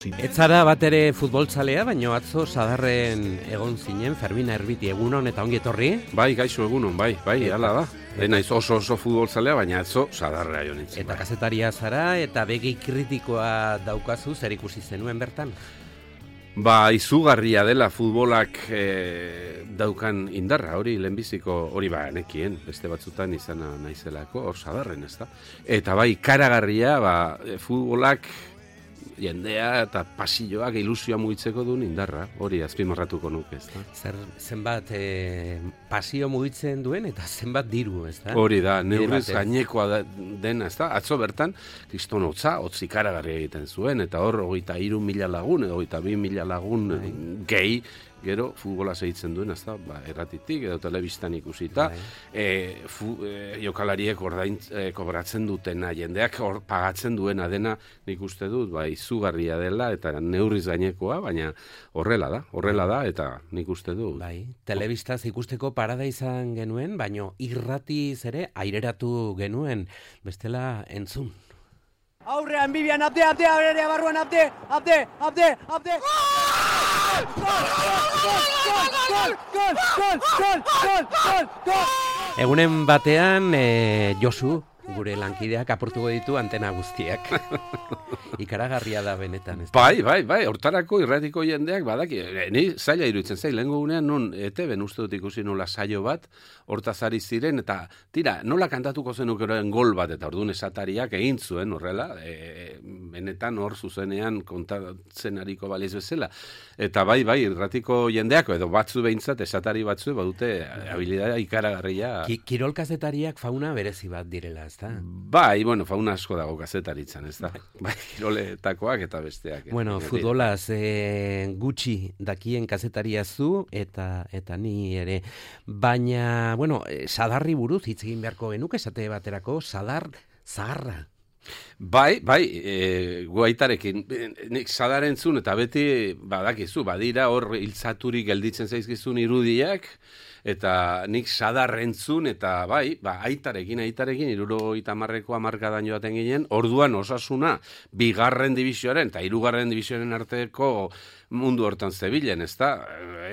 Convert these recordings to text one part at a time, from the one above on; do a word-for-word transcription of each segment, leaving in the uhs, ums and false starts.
Ez zara bat ere futboltzalea, baino atzo sadarren egon zinen, Fermina Erbiti, egunon eta ongi etorri. Bai, gaixo egunon, bai, bai, hala da. Naiz oso oso futboltzalea, baina atzo sadarra jo nintzen. Eta kazetaria zara eta begi kritikoa daukazu, zer ikusi zenuen bertan? Ba, izugarria dela futbolak e, daukan indarra, hori lehenbiziko, hori ba, nekien, beste batzutan izana naizelako, hor sadarren, ez da. Eta bai, karagarria, ba, futbolak jendea eta pasilloak ilusioa mugitzeko duen indarra, hori azpimarratuko nuke, ez da. Zer, zenbat e, pasio mugitzen duen eta zenbat diru, ez da? Hori da, neurriz gainekoa da, dena, ez da. Atzo bertan, kriston hotza, hotzi karagarria egiten zuen, eta hor, hogeita hiru mila lagun, edo hogeita bi mila lagun gehi, gero, futbola segitzen duen, ez da, ba, erratitik, edo telebistan ikusita, e, fu, e, jokalariek ordain e, kobratzen dutena, jendeak or, pagatzen duena dena, nik uste dut, ba, izugarria dela, eta neurriz gainekoa, baina horrela da, horrela da, eta nik uste dut. Bai, telebistaz ikusteko parada izan genuen, baino irratiz ere aireratu genuen, bestela entzun. Aurrean Bibian abde, abde, abde, barruan abde, abde, abde, abde. Egunen batean, e, Josu, gure lankideak apurtuko ditu antena guztiak. Ikaragarria da benetan, ez da? Bai, bai, bai, hortarako irratiko jendeak badaki, ni zaila iruditzen zail, lehenko gunean non E T B-n uste dut ikusi nola saio bat, hortaz ari ziren, eta tira, nola kantatuko zenuk eroen gol bat, eta orduan esatariak egin zuen horrela, e, benetan hor zuzenean kontatzen ariko baliz bezala. Eta bai, bai, irratiko jendeako, edo batzu behintzat, esatari batzu, badute habilidadea ikaragarria. Ki, kirol kazetariak fauna berezi bat direla, ez da? Bai, bueno, fauna asko dago kazetaritzan, ez da? Bai, kiroletakoak eta besteak. Bueno, futbolaz e, gutxi dakien kazetaria zu eta eta ni ere. Baina, bueno, sadarri buruz hitz egin beharko genuke esate baterako, sadar zaharra. Bai, bai, e, guaitarekin, nik sadarentzun eta beti badakizu, badira hor hiltzaturik gelditzen zaizkizun irudiak, eta nik sadarrentzun eta bai, ba, aitarekin, aitarekin, hirurogeita hamarreko hamarkadan joaten ginen, orduan Osasuna bigarren divisioaren eta hirugarren divisioaren arteko mundu hortan zebilen, ez da?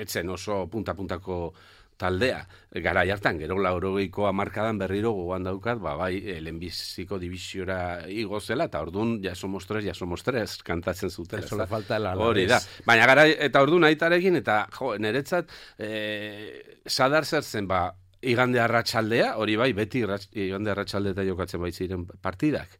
Etzen oso punta-puntako taldea. Gara hartan, gero laurogeiko hamarkadan berriro gogoan daukat, ba, bai, lehenbiziko divisiora igozela, eta orduan, ja somos tres, ja somos tres, kantatzen zuten. Eso le falta la hori da. Baina gara, eta orduan aitarekin, eta jo, niretzat, e, sadar zer zen, ba, igande arratsaldea, hori bai, beti igande arratsalde eta jokatzen baitziren partidak.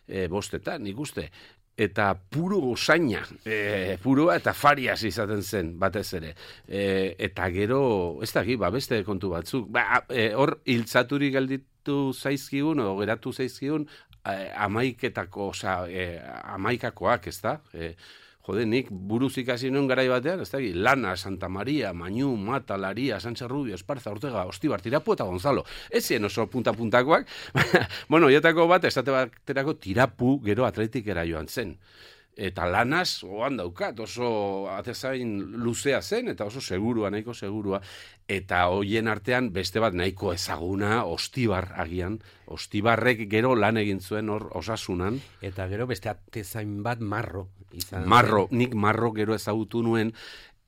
E, bostetan, nik uste. Eta puro gozaina, e, puroa eta fariaz izaten zen, batez ere. E, eta gero, ez da ba, beste kontu batzuk. Ba, e, hor, hiltzaturik gelditu zaizkigun, o geratu zaizkigun, e, amaiketako, oza, e, amaikakoak, ez da? E, Jode, nik buruz ikasi nuen garai batean, ez da, Lana, Santa Maria, Mañu, Mata, Laria, Sánchez Rubio, Esparza, Ortega, Ostibar, Tirapu eta Gonzalo. Ez zien oso punta-puntakoak. Bueno, jatako bat, estate baterako Tirapu gero atletikera joan zen. Eta Lanaz, oan daukat, oso atezain luzea zen, eta oso segurua, nahiko segurua. Eta hoien artean beste bat nahiko ezaguna, Ostibar agian. Ostibarrek gero lan egin zuen hor Osasunan. Eta gero beste atezain bat Marro. Izan marro, zen. Nik Marro gero ezagutu nuen,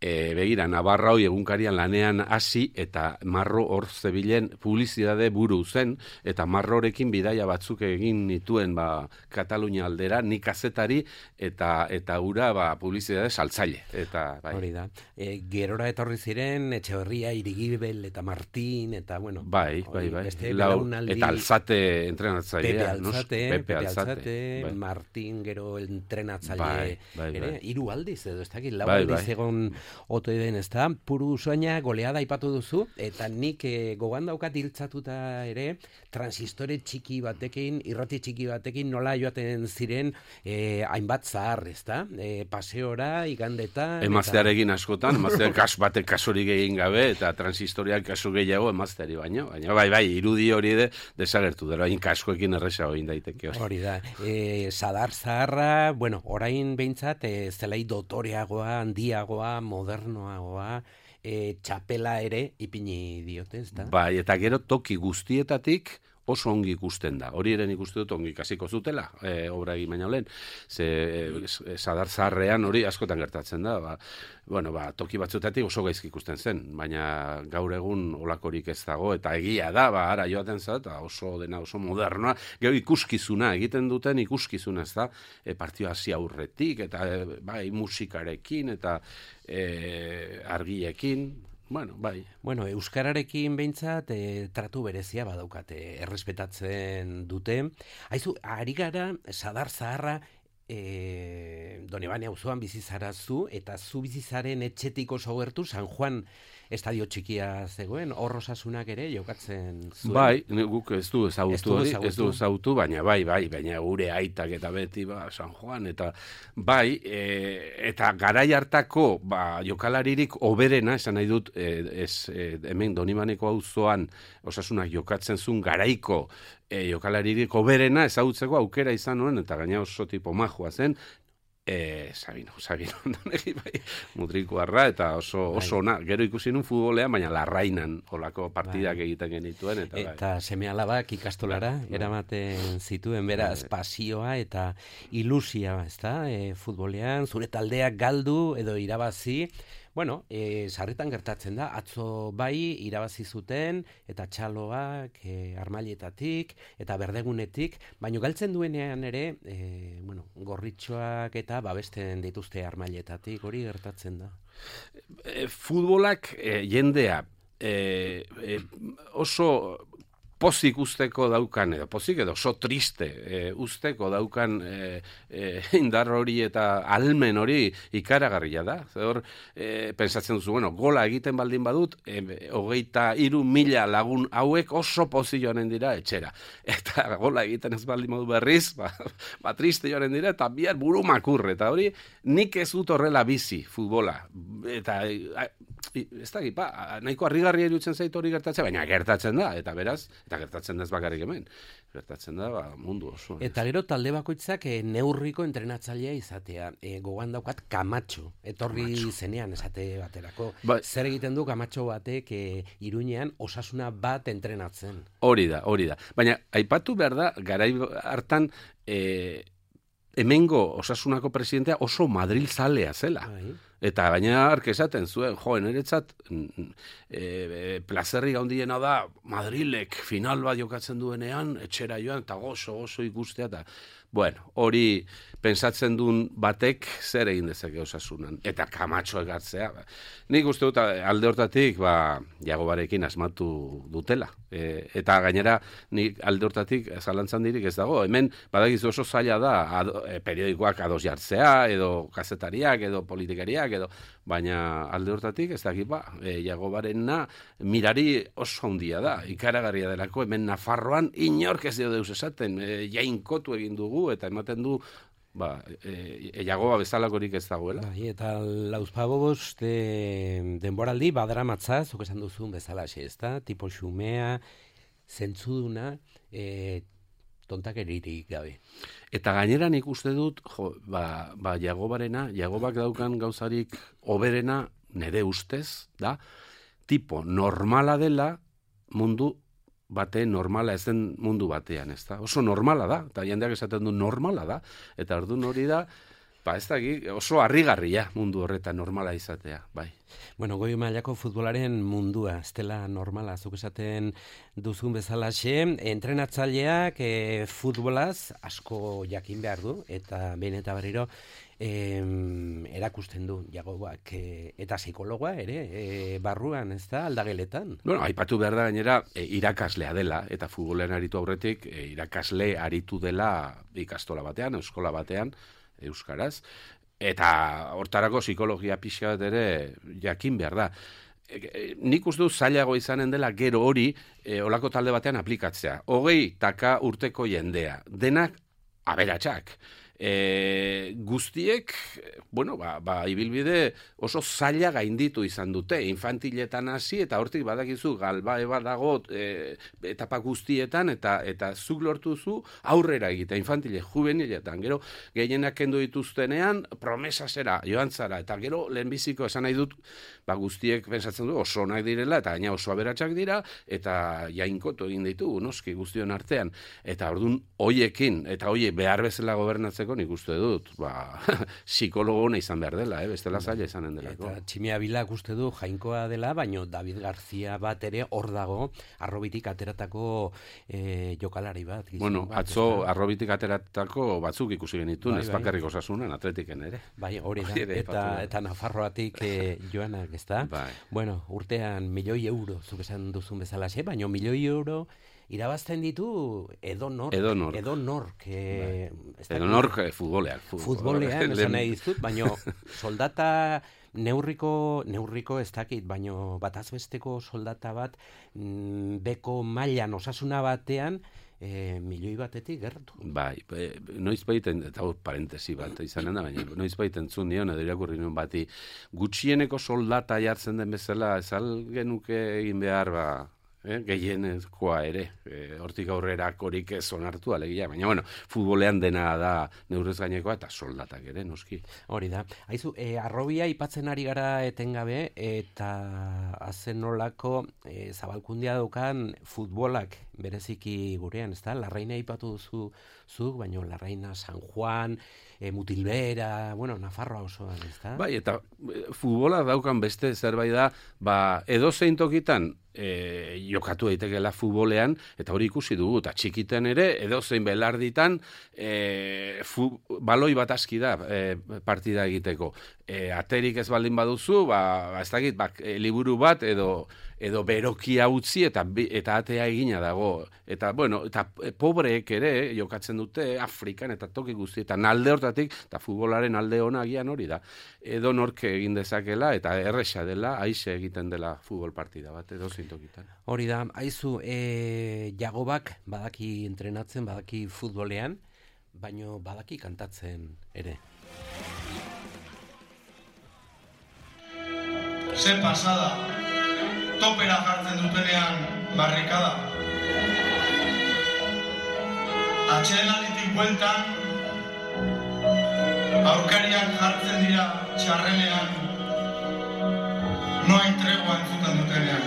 E, begira, Navarra hoi egunkarian lanean hasi eta Marro hor zebilen publizitate buru zen, eta Marrorekin bidaia batzuk egin nituen ba, Katalunia aldera, nik kazetari eta eta ura ba, publizitate saltzaile. Eta, bai. Hori da. E, gerora etorri ziren, Etxeberria, Irigibel eta Martin, eta bueno. Bai, bai, bai. Lau, eta Alzate entrenatzailea. Pepe Alzate, Pepe, Pepe Alzate, Alzate bai. Martin gero entrenatzaile. Bai, bai, bai. Ere, hiru aldiz edo, ez dakit, lau bai, aldiz bai. egon oto eden, ez da, puru usoina goleada aipatu duzu, eta nik e, gogoan daukat hiltzatuta ere, transistore txiki batekin, irrati txiki batekin, nola joaten ziren e, hainbat zahar, ez da? E, paseora, igandetan... Emaztearekin askotan, emaztearen kas batek kasurik egin gabe, eta transistoriak kasu gehiago emazteari baino, baina bai, bai, irudi hori de desagertu, dara, hain kaskoekin erresa hori daiteke. Hori da, e, sadar zaharra, bueno, orain behintzat, e, zelai dotoreagoa, handiagoa, modernoagoa, e, txapela ere ipini diote, ez da? Bai, eta gero toki guztietatik oso ongi ikusten da. Hori eren ikusten dut ongi ikasiko zutela, e, obra egin baina olen, ze e, sadar zaharrean hori askotan gertatzen da, ba, bueno, ba, toki batzutatik oso gaizki ikusten zen, baina gaur egun olakorik ez dago, eta egia da, ba, ara joaten zat, oso dena, oso modernoa, gero ikuskizuna, egiten duten ikuskizuna, ez da, e, partio hasi aurretik, eta e, bai, musikarekin, eta e, argiekin, bueno, bai. Bueno, euskararekin behintzat e, tratu berezia badaukate, errespetatzen dute. Haizu, ari gara, sadar zaharra, e, Donibane auzoan bizizara zu, eta zu bizizaren etxetik oso gertu, San Juan estadio txikia zegoen, hor Osasunak ere jokatzen zuen. Bai, guk ez du ezagutu hori, ez du ezagutu. ezagutu, baina bai, bai, baina gure aitak eta beti, ba, San Juan, eta bai, e, eta garai hartako, ba, jokalaririk oberena, esan nahi dut, e, ez, e, hemen Donibaneko auzoan Osasunak jokatzen zuen garaiko e, jokalaririk oberena ezagutzeko aukera izan nuen, eta gaina oso tipo majua zen, E, Sabino, Sabino, bai, mutrikuarra, eta oso, oso ona, gero ikusi nun futbolean, baina larrainan olako partidak bai. Egiten genituen. Eta, eta bai. Seme alabak ikastolara, bai. Eramaten zituen, beraz, bai. Pasioa eta ilusia, ez da, e, futbolean, zure taldeak galdu edo irabazi, bueno, e, sarritan gertatzen da, atzo bai irabazi zuten, eta txaloak, e, armailetatik, eta berdegunetik, baina galtzen duenean ere, e, bueno, gorritxoak eta babesten dituzte armailetatik, hori gertatzen da. E, futbolak e, jendea e, e, oso pozik usteko daukan, edo pozik edo oso triste e, usteko daukan e, e, indar hori eta almen hori ikaragarria da. Hor, e, pensatzen duzu, bueno, gola egiten baldin badut, e, hogeita hiru mila lagun hauek oso pozik joanen dira etxera. Eta gola egiten ez baldin badu berriz, ba, ba triste joanen dira, eta bihar buru makurre. Eta hori, nik ez dut horrela bizi, futbola. Eta, a, ez da, gipa, nahiko harrigarria irutzen zaitu hori gertatzen, baina gertatzen da, eta beraz, eta gertatzen da ez bakarrik hemen, gertatzen da ba, mundu oso. Eta gero talde bakoitzak e, neurriko entrenatzailea izatea, e, gogoan daukat Kamatxo, etorri Kamatxo. Zenean esate baterako. Ba, zer egiten du Kamatxo batek e, Iruñean Osasuna bat entrenatzen? Hori da, hori da. Baina, aipatu behar da, garai hartan, e, hemengo Osasunako presidentea oso Madril zalea zela. Ai. Eta gaina ark esaten zuen, jo, eretzat e, e, plazerri gaundiena da Madrilek final bat jokatzen duenean, etxera joan, eta gozo, gozo ikustea, eta bueno, hori pensatzen duen batek zer egin dezake Osasunan, eta Kamatxo egartzea. Nik uste dut alde hortatik, ba, Jagobarekin asmatu dutela. E, eta gainera, nik alde hortatik zalantzan dirik ez dago. Hemen, badakizu oso zaila da, ado, e, periodikoak ados jartzea, edo kazetariak, edo politikariak, edo, baina alde hortatik ez dakit ba, e, Jagobarena mirari oso handia da, ikaragarria delako, hemen Nafarroan inork ez dio deus esaten, e, jainkotu egin dugu, eta ematen du, ba, e, e, Jagoba bezalakorik ez dagoela. Bai, eta lauzpabost de, denboraldi badaramatza, zuk esan duzun bezalaxe, ez da? Tipo xumea, zentzuduna, e, tontakeririk gabe. Eta gainera nik uste dut, jo, ba, ba Jagobarena, Jagobak daukan gauzarik oberena, nire ustez, da, tipo normala dela mundu bate normala ez den mundu batean, ez da? Oso normala da, eta jendeak esaten du normala da, eta orduan hori da, ba ez da, oso harrigarria mundu horretan normala izatea, bai. Bueno, goi mailako futbolaren mundua, ez dela normala, zuk esaten duzun bezalaxe, entrenatzaileak e, futbolaz asko jakin behar du, eta behin eta berriro, E, erakusten du Jagobak e, eta psikologoa ere e, barruan, ez da, aldageletan. Bueno, aipatu behar da gainera e, irakaslea dela, eta futbolean aritu aurretik e, irakasle aritu dela ikastola batean, eskola batean, euskaraz, eta hortarako psikologia pixka bat ere jakin behar da. E, e, nik uste du zailago izanen dela gero hori e, olako talde batean aplikatzea. Hogei taka urteko jendea, denak aberatsak. E, guztiek, bueno, ba, ba, ibilbide oso zaila gainditu izan dute, infantiletan hasi, eta hortik badakizu galba eba dago e, etapa guztietan, eta eta zuk lortuzu aurrera egite, infantile, juveniletan, gero gehienak kendu dituztenean, promesa zera, joan zara, eta gero lehenbiziko esan nahi dut, ba, guztiek pensatzen du oso onak direla, eta gaina oso aberatsak dira, eta jainkotu egin ditugu, noski guztion artean, eta orduan hoiekin, eta hoiek behar bezala gobernatzeko nik uste dut, ba, psikologo ona izan behar dela, eh? Bestela zaila izanen delako. Eta Tximia Bilak uste du jainkoa dela, baino David Garzia bat ere hor dago, arrobitik ateratako e, jokalari bat. Bueno, bat, atzo ez arrobitik ateratako batzuk ikusi genituen, bai, ez bai. bakarrik Osasunan, Atletiken ere. Bai, hori da, Hori ere, eta, aipatu. eta Nafarroatik e, joanak, ez da? Bai. Bueno, urtean milioi euro, zuk esan duzun bezala, baino milioi euro irabazten ditu edonork. Edonork. Edonork. E, ez dakit- Edonork eh, futbolean. Futbolean, Lehen- esan nahi dizut, baino soldata neurriko, neurriko ez dakit, baino batazbesteko soldata bat mm, beko mailan osasuna batean e, milioi batetik gertu. Bai, e, noiz baiten, eta hor parentesi bat izanen da, baina noiz baiten zun nion, edo irakurri nion bati, gutxieneko soldata jartzen den bezala, ez al genuke egin behar, ba, eh, gehienezkoa ere, e, hortik aurrera korik ez onartu alegia, baina bueno, futbolean dena da neurrez gainekoa eta soldatak ere, noski. Hori da. Aizu, e, arrobia ipatzen ari gara etengabe, eta azen nolako e, zabalkundia daukan futbolak bereziki gurean, ez da? Larraina ipatu duzu zuk, baino Larraina, San Juan, e, Mutilbera, bueno, Nafarroa osoan, ez da? Bai, eta e, futbola daukan beste zerbait da, ba, edo zein tokitan, E, jokatu daitekeela futbolean, eta hori ikusi dugu, eta txikiten ere, edo zein belarditan, e, fu, baloi bat aski da e, partida egiteko. E, aterik ez baldin baduzu, ba, ez dakit, ba, e, liburu bat, edo edo berokia utzi eta bi- eta atea egina dago. Eta, bueno, eta pobreek ere jokatzen dute Afrikan eta toki guztietan alde hortatik, eta futbolaren alde ona agian hori da. Edo nork egin dezakela, eta erresa dela, aixe egiten dela futbol partida bat, edo zintokitan. Hori da, aizu, e, Jagobak badaki entrenatzen, badaki futbolean, baino badaki kantatzen ere. Ze pasada, topera jartzen dutenean barrikada. Atsedenalditik bueltan, aurkariak jartzen dira txarrenean, no hay tregua entzuten dutenean.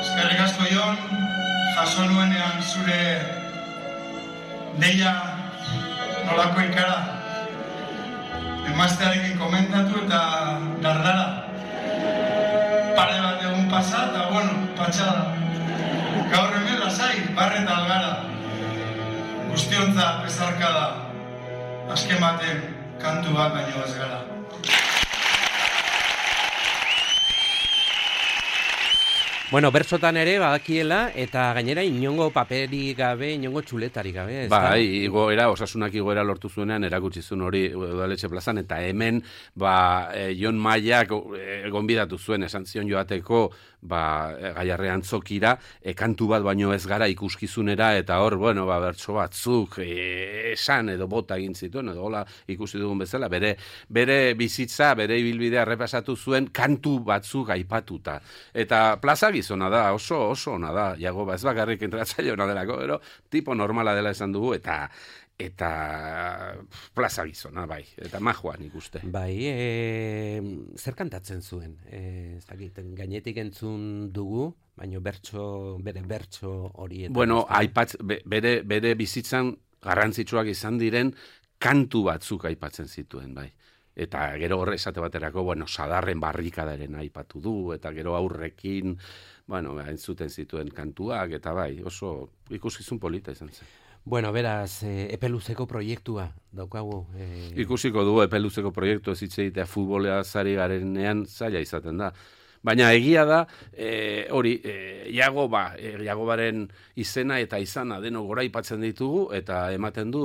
Eskerrik asko Jon, jaso nuenean zure deia nolako ikara. Emaztearekin komentatu eta dardara. Pare bat egun pasa eta, bueno, patxada. Gaur hemen lasai, barreta algara. Guztiontza bezarkada. Azken baten kantu bat baino ez gara. Bueno, bertsotan ere badakiela, eta gainera inongo paperi gabe, inongo txuletari gabe, ez da? Bai, igoera, Osasunak igoera lortu zuenean erakutsi zuen hori Udaletxe plazan, eta hemen, ba, e, Jon Maiak e, gonbidatu zuen, esan zion joateko, ba, e, Gaiarre Antzokira, e, kantu bat baino ez gara ikuskizunera, eta hor, bueno, ba, bertso batzuk, e, esan edo bota egin zituen, edo hola ikusi dugun bezala, bere, bere bizitza, bere ibilbidea errepasatu zuen kantu batzuk aipatuta. Eta plaza gizona da, oso, oso ona da, Jagoba, ez bakarrik entratzaile ona delako, pero tipo normala dela esan dugu, eta eta plaza gizona, bai, eta majoan ikuste. Bai, e, zer kantatzen zuen? E, ez dakit, gainetik entzun dugu, baino bertso, bere bertso hori. Bueno, aipatz, be, bere, bere bizitzan garrantzitsuak izan diren kantu batzuk aipatzen zituen, bai. Eta gero horre esate baterako, bueno, Sadarren barrikadaren aipatu du, eta gero aurrekin, bueno, entzuten zituen kantuak, eta bai, oso ikuskizun polita izan zen. Bueno, beraz, e, epeluzeko proiektua daukagu. E... Ikusiko du epeluzeko proiektu ez hitz egitea futbolea zari garenean zaila izaten da. Baina egia da, e, hori, e, Jagoba, e, Jagobaren izena eta izana deno goraipatzen ditugu, eta ematen du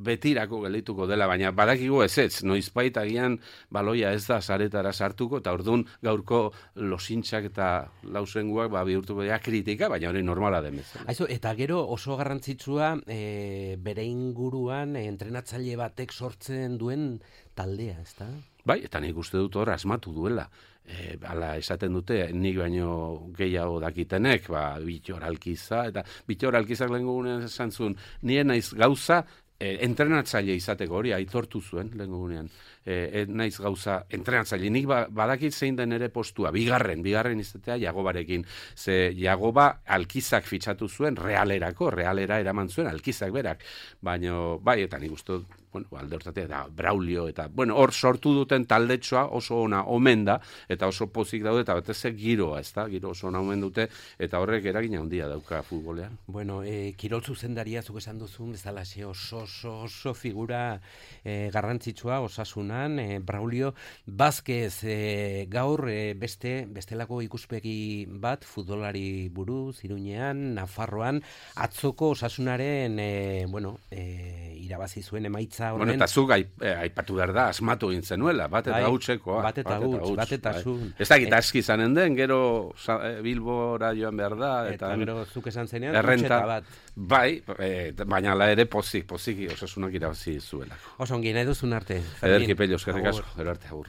betirako geldituko dela, baina badakigu ez ez, noizbait agian baloia ez da saretara sartuko, eta orduan gaurko losintxak eta lausenguak ba, bihurtuko dira kritika, baina hori normala den bezala. Aizu, eta gero oso garrantzitsua e, bere inguruan e, entrenatzaile batek sortzen duen taldea, ezta? Bai, eta nik uste dut hor asmatu duela. E, ala esaten dute, nik baino gehiago dakitenek, ba, Bitor Alkiza, eta Bitor Alkizak lehen gugunean esan zuen, nire naiz gauza, e, entrenatzaile izateko hori, aitortu zuen lehen gugunean. E, naiz gauza entrenatzaile, nik ba, badakit zein den ere postua, bigarren, bigarren izatea Jagobarekin. Ze Jagoba Alkizak fitxatu zuen realerako, realera eraman zuen Alkizak berak. Baina, bai, eta nik uste dut, bueno, alde hortatea, da, Braulio, eta, bueno, hor sortu duten taldetxoa oso ona omen da, eta oso pozik daude, eta batez giroa, ez da, giro oso ona omen dute, eta horrek eragina handia dauka futbolean. Bueno, e, kirol zuzendaria zuk esan duzun, bezala oso, oso, oso figura e, garrantzitsua osasunan, e, Braulio Vázquez e, gaur e, beste, bestelako ikuspegi bat futbolari buruz, Iruñean, Nafarroan, atzoko osasunaren, e, bueno, e, irabazi zuen emaitza. Bueno, eta zuk aipatu behar da, asmatu egin zenuela, bat eta hautsekoa. Bat eta huts, bat eta zu. Ez da, gita eski zanen den, gero Bilbora joan behar da. Eta gero zuk esan zenean, errenta bat. Bai, baina ala ere pozik, pozik, osasunak irabazi zuela. Oso ongi, nahi duzun arte. Ederki pello, eskerrik asko, gero arte, agur.